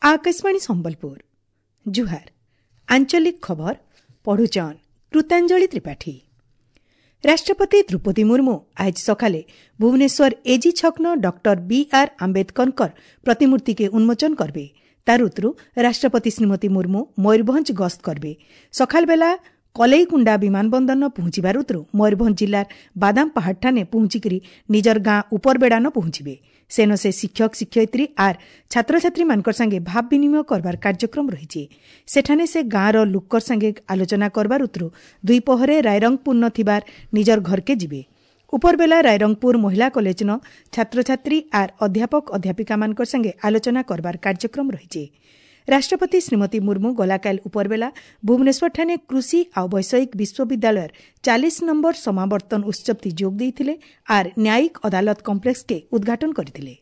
आकाशवाणी संबलपुर। जुहार। आंचलिक खबर पढ़ुचन कृतांजलि त्रिपाठी। राष्ट्रपति द्रौपदी मुर्मू आज सकाले भुवनेश्वर एजी छकन डॉक्टर बी are आम्बेडकरकर प्रतिमूर्ति के उन्मोचन करबे। तार उतरू राष्ट्रपति श्रीमती मुर्मू मयूरभंज गस्त करबे। सकाल बेला कलेईकुंडा विमानबंदर पहुंचबार उतरू मयूरभंज जिलार बादाम पहाड़ ठाने पहुंचिकरी निजर गाँ उपरबेड़ान पहुंचिबे। सेन से शिक्षक शिक्षयित्री are छात्रछात्री मानकर संगे भाव विनिमय करबार कार्यक्रम रहिছে। सेठाने से गाँर लुकर संगे आलोचना करबार उतरू दुई पहरे रायरंगपुर न थिबार निजर घरके जिबे। उपरबेला रायरंगपुर महिला कॉलेज न छात्रछात्री are अध्यापक अध्यापिका मानकर संगे आलोचना करबार कार्यक्रम रहिছে। राष्ट्रपति श्रीमती मुर्मू गलाकाल उपरबेला भुवनेश्वर ठाने कृषि आ वैषयिक विश्वविद्यालयर 40 नंबर समावर्तन उत्सव ती जोग देइथिले are न्यायिक अदालत कम्प्लेक्स के उद्घाटन करिथिले।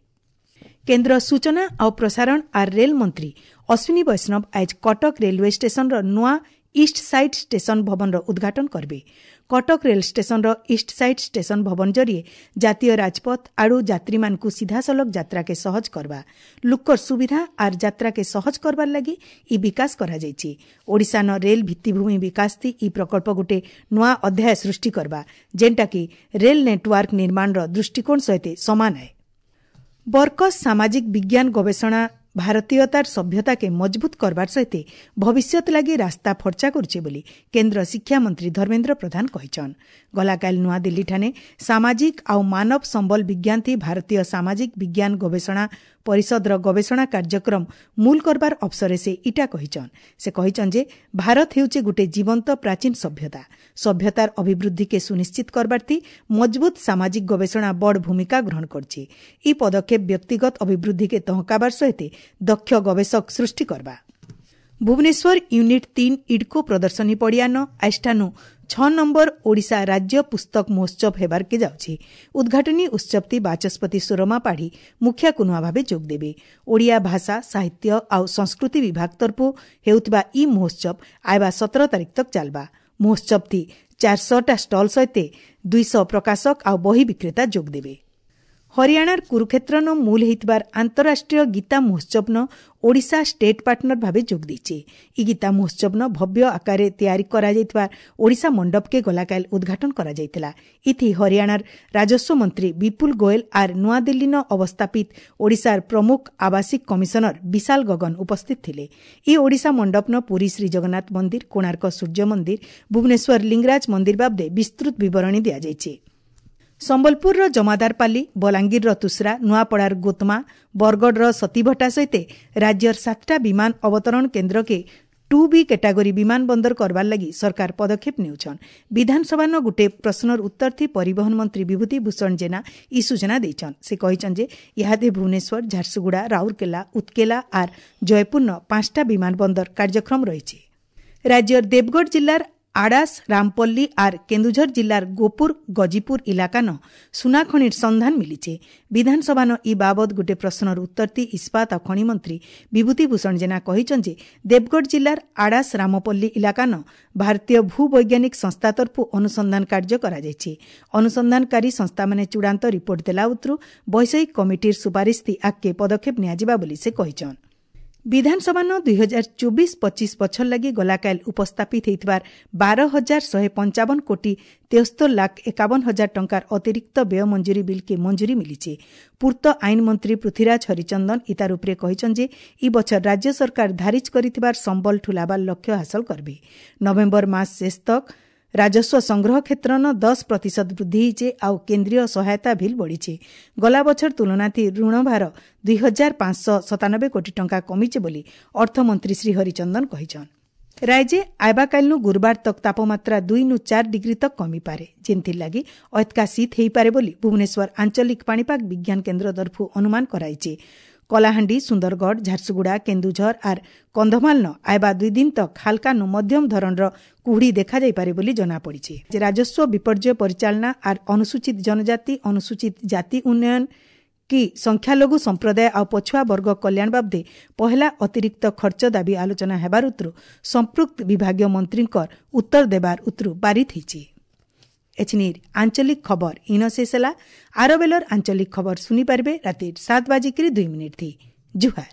केन्द्र सूचना आ प्रसारण are rail मंत्री अश्विनी वैष्णव आज कटक रेलवे स्टेशन र नुआ ईस्ट साइड स्टेशन भवन र उद्घाटन करबे। कटक रेल स्टेशन र ईस्ट साइड स्टेशन भवन जरिए जातीय राजपथ आड़ू यात्री मानकु सीधासलख यात्रा के सहज करबा, लुकर सुविधा are यात्रा के सहज करबार लागि इ विकास करा जाइछि। ओडिशा न रेल भित्तिभूमि विकास ती इ प्रकल्प गुटे नुआ अध्याय सृष्टि करबा, जेनटा कि रेल नेटवर्क निर्माण र दृष्टिकोण सहित समान है। बर्कस सामाजिक विज्ञान गवेषणा भारतीयतार सभ्यता के मजबूत करबार सहित भविष्यत लागि रास्ता फर्चा करছে बोली केन्द्र शिक्षा मंत्री धर्मेन्द्र प्रधान कहिछन। गलाकाल नयाँ ठाने सामाजिक आउ मानव सम्बल विज्ञान थी भारतीय सामाजिक विज्ञान गवेषणा परिषद र गवेषणा कार्यक्रम मूल करबार अवसरे से इटा कहिछन। से कहिछन जे भारत हेउचे गुटे जीवंत प्राचीन सभ्यता। सभ्यतार अभिवृद्धि के सुनिश्चित करबार थी मजबूत सामाजिक गवेषणा बड़ भूमिका ग्रहण करছে। इ पदक्षेप व्यक्तिगत अभिवृद्धि के तहकाबार सहित दक्ष गवेषक सृष्टि करबा। भुवनेश्वर यूनिट 3 इडको प्रदर्शनी पडियान आइष्ठानु 6 नंबर ओडिशा राज्य पुस्तक महोत्सव हेबार के जाଉଛି। उद्घाटनी उत्सवती वाचस्पति सुरमा पाढ़ी मुख्य कुनुआ भावे जोग देवे। ओडिया भाषा साहित्य आउ संस्कृति विभाग तरफु हेउतबा इ महोत्सव आइबा 17 तारीख तक चालबा। महोत्सवती 400टा स्टल सहित 200 प्रकाशक आउ बही विक्रेता जोग देवे। हरियाणार कुरुक्षेत्र न मूल हेइतबार आंतरराष्ट्रीय गीता महोत्सव न ओडिशा स्टेट पार्टनर भावे जोग देइছে। इ गीता महोत्सव न भव्य आकारे तयारी करा जाइतबार ओडिशा मंडप के गलाकाल उद्घाटन करा जाइतला। इथि हरियाणार राजस्व मंत्री विपुल गोयल are नया दिल्ली न अवस्थापित ओडिशार प्रमुख आवासिक कमिश्नर विशाल गगन उपस्थित थिले। इ ओडिशा मंडप न पुरी श्री जगन्नाथ मंदिर, कोणार्क सूर्य मंदिर, भुवनेश्वर लिंगराज मंदिर बाबदे विस्तृत विवरणी दिया जाइছে। सम्बलपुर जमादारपाली, बलांगीर तुसरा, नुआपड़ार गोतमा, बरगढ़ सतीभटा सहित राज्यर 7टा विमान अवतरण केन्द्र के 2B category विमानबंदर करबार लागि सरकार पदक्षेप नेउछन। विधानसभा न गुटे प्रश्नर उत्तर थी परिवहन मंत्री विभूति भूषण जेना इ सूचना देइछन। से कहिछन जे इहादे भुवनेश्वर, झारसुगुड़ा, राउरकेला, उत्केला are Jaipur न 5टा विमानबंदर कार्यक्रम रहिছে। राज्यर देवगढ़ जिल्लार आड़ास, रामपल्ली are Keonjhar जिल्लार गोपुर, गजीपुर इलाका न सुनाखणीर सन्धान मिलिছে। विधानसभा न इ बाबद गुटे प्रश्नर उत्तर ती इस्पात आ खनि मंत्री विभूति भूषण जेना कहिछन जे देवगढ़ जिल्लार आड़ास, रामपल्ली इलाका न भारतीय भूवैज्ञानिक संस्था तरफु अनुसंधान कार्य करा जाइছে। अनुसंधानकारी संस्था माने चूड़ांत रिपोर्ट देला उतरू वैषयिक कमिटीर सुपारिश ती आगके पदक्षेप नियाजिबा बोली से कहिछन। विधानसभा न 2024-25 बछर लागि गलाकाल उपस्थापित हेइतबार 12,155 कोटी 73 लाख 51 हजार टंकार अतिरिक्त व्यय मंजूरी बिल के मंजूरी मिलिছে। पूर्त आईन मंत्री पृथ्वीराज हरिचंदन इतार उपरे कहिछन जे इ बछर राज्य सरकार धारिज करिथिबार सम्बल ठुलाबार लक्ष्य हासिल करबे। नवेम्बर मास शेष तक राजस्व संग्रह क्षेत्र न 10% वृद्धि होइছে आउ केन्द्रीय सहायता ভিল बढ़िছে। गला बछर तुलनाथी ऋणभार 2597 कोटी टंका कमिছে बोली अर्थमंत्री श्री हरिचंदन कहिछन। राज्य आइबाकालनु गुरुवार तक तापमात्रा 2 नु 4 डिग्री तक कमी पारे, जेंथि लागि अतका शीत हेइपारे बोली भुवनेश्वर आंचलिक पाणीपाग विज्ञान केन्द्र तरफु अनुमान कराइছে। कलाहांडी, सुंदरगढ़, झारसुगुड़ा, केन्दुझर are Kandhamal न आइबा 2 दिन तक हालका नु मध्यम धरणर कुहुड़ी देखा जाइपारे बोली जना पड़िছে। राजस्व विपर्यय परिचालना are अनुसूचित जनजाति, अनुसूचित जाति उन्नयन कि संख्यालघु संप्रदाय आ पछुआ वर्ग कल्याण बाबदे पहला अतिरिक्त खर्च दाबी आलोचना हेबार उतरू संपृक्त विभागीय मंत्रींकर उत्तर देबार उतरू पारित होइছে। एछनिर आंचलिक खबर इन शेष होला। आरो बेलर आंचलिक खबर सुनी पारबे रातिर 7:02 थी। जुहार।